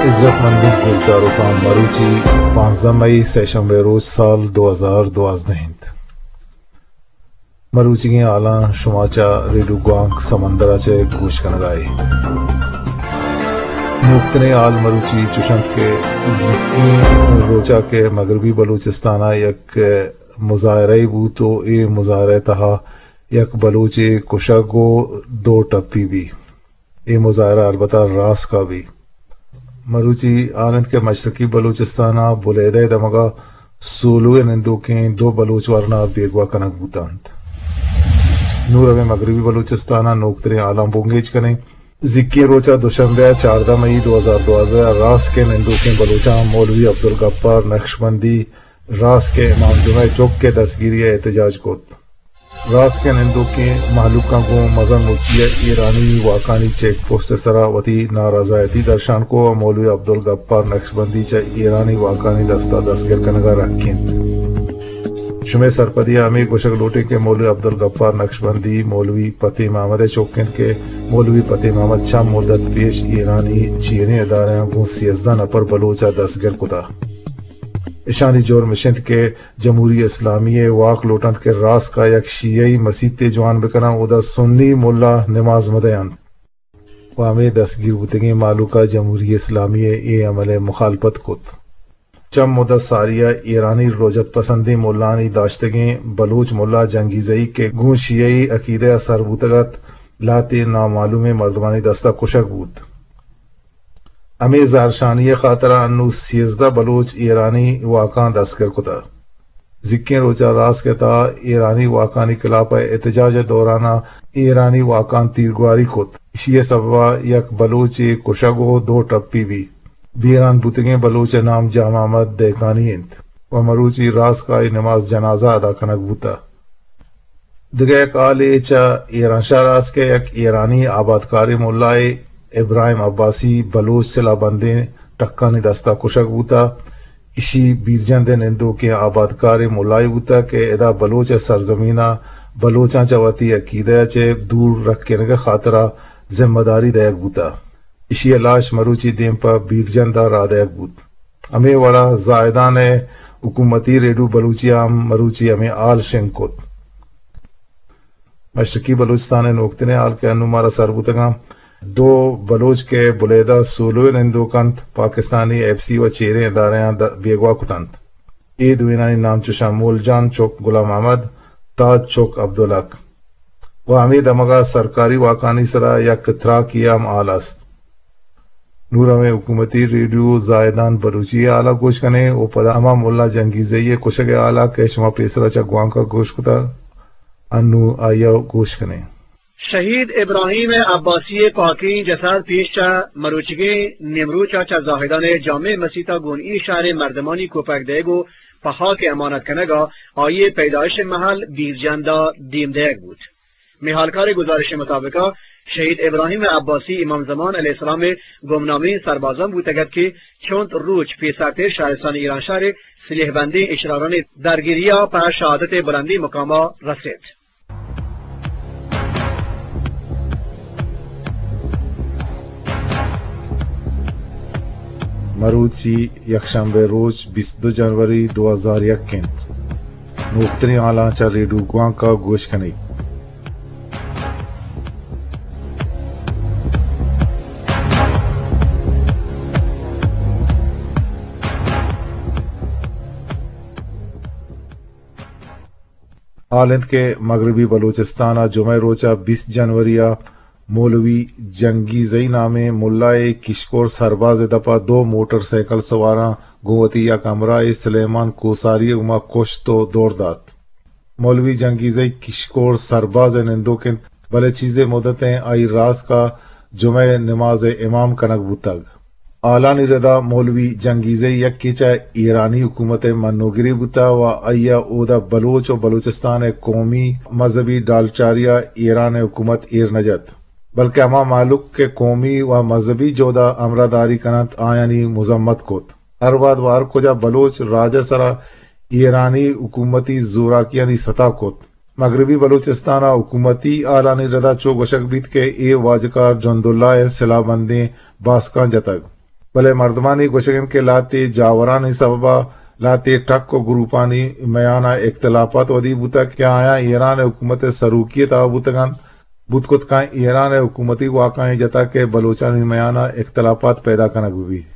عزت مندیں گوشداروکاں، مروچی پانزدہ مئی، سہ شنبے روچ، سال دو ہزار دوازدہ انت۔ مروچیگیں حالاں شما چہ ریڈیو گوانک سمندر ءَ چہ گوش کنگ ءَ ئے۔ نوکتریں حال مروچی چوش انت کہ زیکیں روچا کہ مغربی بلوچستان ءَ یک مظاہرہ بوت و اے مظاہرہ تہا یک بلوچے کشگ و دو ٹپی بی۔ اے مظاہرہ البتہ راسک ءَ بی۔ مروچی حال انت کہ مشرقی بلوچستان ءَ بلیدہ ءِ دمگ ءَ سولو ءِ نندوکیں دو بلوچ ورنا بیگواہ کنگ بوتنت۔ نوں رویں مغربی بلوچستان ءِ نوکتریں حالاں بنگیج کنیں۔ زیکیں روچ ءَ دوشنبے ءَ چاردہ مئی دو ہزار دوازدہ ءَ راسک ءِ نندوکیں بلوچاں مولوی عبدالغفار نقشبندی راسک ءِ امام جمعہ ءِ چک ءِ دستگیری ءِ احتجاج کت۔ راسک ءِ نندوکیں مہلوکاں گوں مزن مچی ءَ ایرانی واکانی چیک پوسٹ ءِ سرا وتی نارضایتی درشان کو و مولوی عبدالغفار نقشبندی چہ ایرانی واکانی دستا دستگر کنگا رکینت۔ شمئے سرپدی ءَ ہمے گوشگ لوٹیں کہ مولوی عبدالغفار نقشبندی مولوی فتح محمد ءِ چک انت کہ مولوی فتح محمد چند مدت پیش ایرانی چیریں ادارہاں گوں سیزدہ نفر بلوچ ءَ دستگر کتا۔ اشانی جرم اش انت کہ جمہوری اسلامی ءِ واک لوٹنت کہ راسک ءَ یک شیعی مسیتے جوان بکناں، اودا سنی ملا نماز مدینت و ہمے دستگیر بوتگیں مہلوک ءَ جمہوری اسلامی ءِ اے عمل ءِ مخالفت کت۔ چند مدت ساری ءَ ایرانی رجعت پسندیں ملانی داشتگیں بلوچ ملا جنگیزئی کہ گوں شیعی عقیدہ ءَ سر بوتگ ات، لہتے نامعلومیں مردمانی دستا کشگ بوت۔ ہمے زہرشانی ءِ خاطرا انوں سیزدہ بلوچ ایرانی واکاں دستگر کتہ۔ زیکیں روچا راسک ءِ تہا ایرانی واکانی خلاف ءَ احتجاج ءِ دورانا ایرانی واکاں تیرگواری کت۔ ایشی ءِ سببا یک بلوچے کشگ و دو ٹپی بی۔ بیران بوتگیں بلوچ ءِ نام جام احمد دہکانی انت و مروچی راسک ءَ آئی نماز جنازہ ادا کنگ بوتہ۔ دگہ یک حالے چہ ایرانشہر است کہ یک ایرانی آبادکاریں ملائے ابراہیم عباسی بلوچ سلاہ بندیں ٹکانی دستا کشگ بوتہ۔ ایشی بیرجند ءِ نندوکیں آبادکاریں ملائے بوتہ کہ ادا بلوچ ءِ سرزمینا بلوچاں چہ وتی عقیدہ ءَ چہ دور رکینگ ءِ خاطرا ذمہ داری دئیگ بوتہ۔ ایشی ءِ لاش مروچی دیم پہ بیرجند ءَ راہ دئیگ بوت۔ ہمے وڑا زاہدان ءِ حکومتی ریڈیو بلوچی ءَ ہم مروچی ہمے حال شنگ کت۔ مشرقی بلوچستان ءِ نوکتریں حال کہ انوں مارا سر بوتگاں، دو بلوچ کہ بلیدہ سولو ءِ نندوک انت، پاکستانی ایف سی و چیریں ادارہاں د-، بیگواہ کتنت۔ اے دوئینانی نام چوشاں مول جان چک غلام احمد، تاج چک عبدالحق۔ و ہمے دمگا سرکاری واکانی سرا یک تراکی ہم حال است۔ نوں رویں حکومتی ریڈیو زاہدان بلوچی ءِ حالا گوش کنیں و پدا ہما ملا جنگیزئی ءِ کشگ ءِ حالا کہ شما پیسرا چہ گوانکا گوش کتا، انوں آئیا گوش کنیں۔ شہید ابراہیم عباسی ءِ پاکیں جسد پیش چہ مروچیگیں نیمروچا چہ زاہدان ءِ جامع مسیتا گون ای شہر ءِ مردمانی کوپگ دئیگ و پہ خاک امانت کنگا آئی ءِ پیدائش ءِ محل بیرجندا دیم دئیگ بوت۔ مئے ہالکار ءِ گزارش ءِ مطابقا شہید ابراہیم عباسی امام زمان علیہ السلام ءِ گمنامیں سربازاں بوتگ ات کہ چنت روچ پیسرتر شہرستان ایرانشہر ءِ سلیح بندیں اشرارانی درگیریا پہ شہادت ءِ بلندیں مقاما رست۔ مروچی یکشنبہ روچ بیست دو جنوری دو ہزار یک انت۔ نوکتریں حالاں چہ ریڈیو گوانکا گوش کنیت۔ حال انت کہ مغربی بلوچستان ء جمعہ ء روچ ء بیست جنوری ء مولوی جنگیزئی نامیں ملائے کشکور سرباز ء دپ ء دو موٹر سائیکل سواراں گوں وتی یک ہمراہے سلیمان کوساری ء گوما کشت ء دور دات۔ مولوی جنگیزئی کشکور سرباز ء نندوک انت، بلے چیزے مدتیں آئی راسک ء جمعہ ء نماز ء امام کنگ بوتگ۔ حالانی ردا مولوی جنگیزئی یکے چہ ایرانی حکومت ء منوگرے بوتہ و آئی ء اودا بلوچ و بلوچستان ء قومی مذہبی ڈالچاری ء ایران ء حکومت ایر نہ جت، بلکہ ہما مہلوک کہ قومی و مذہبی جہد ء ہمراہداری کننت، آیانی مذمت کت۔ ہر وہد و ہر کجا بلوچ راج ء سرا ایرانی حکومتی زوراکیانی ستا کت۔ مغربی بلوچستان ء حکومتی حالانی ردا چو گوشگ بیت کہ اے واجکار جنداللہ ء سلاہ بندیں باسکاں جتگ۔ بلے مردمانی گوشگ انت کہ لہتے جاورانی سبب ءَ لہتے ٹک ءُ گروپانی میان ءَ اختلافات ودی بوتگ کہ آیاں ایران ءِ حکومت ءِ سروکی ءِ تہا بوتگ انت، بوت کت کاں ایران ءِ حکومتی واکانی جتا کہ بلوچانی میان ءَ اختلافات پیدا کنگ بہ بیت۔